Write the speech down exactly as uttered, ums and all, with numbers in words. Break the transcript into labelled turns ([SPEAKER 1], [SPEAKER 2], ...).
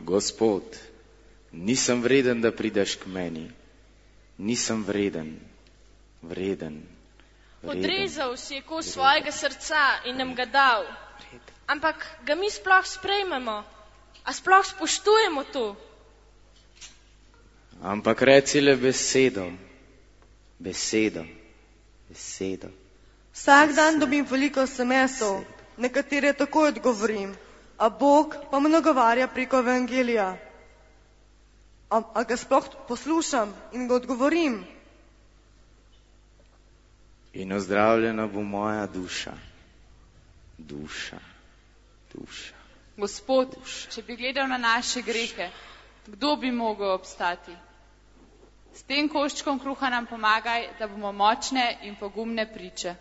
[SPEAKER 1] Gospod, nisem vreden, da prideš k meni. Nisem vreden, vreden, vreden.
[SPEAKER 2] Odrezal si je kos svojega srca in nam ga dal. Ampak ga mi sploh sprejmemo. A sploh spoštujemo to?
[SPEAKER 1] Ampak reci le besedo, besedo, besedo.
[SPEAKER 3] Vsak dan dobim veliko es em esov, nekatere takoj odgovorim, a Bog pa me nagovarja preko evangelija. A, a ga sploh poslušam in ga odgovorim?
[SPEAKER 1] In ozdravljena bo moja duša, duša, duša.
[SPEAKER 4] Gospod, če bi gledal na naše grehe, kdo bi mogel obstati? S tem koščkom kruha nam pomagaj, da bomo močne in pogumne priče.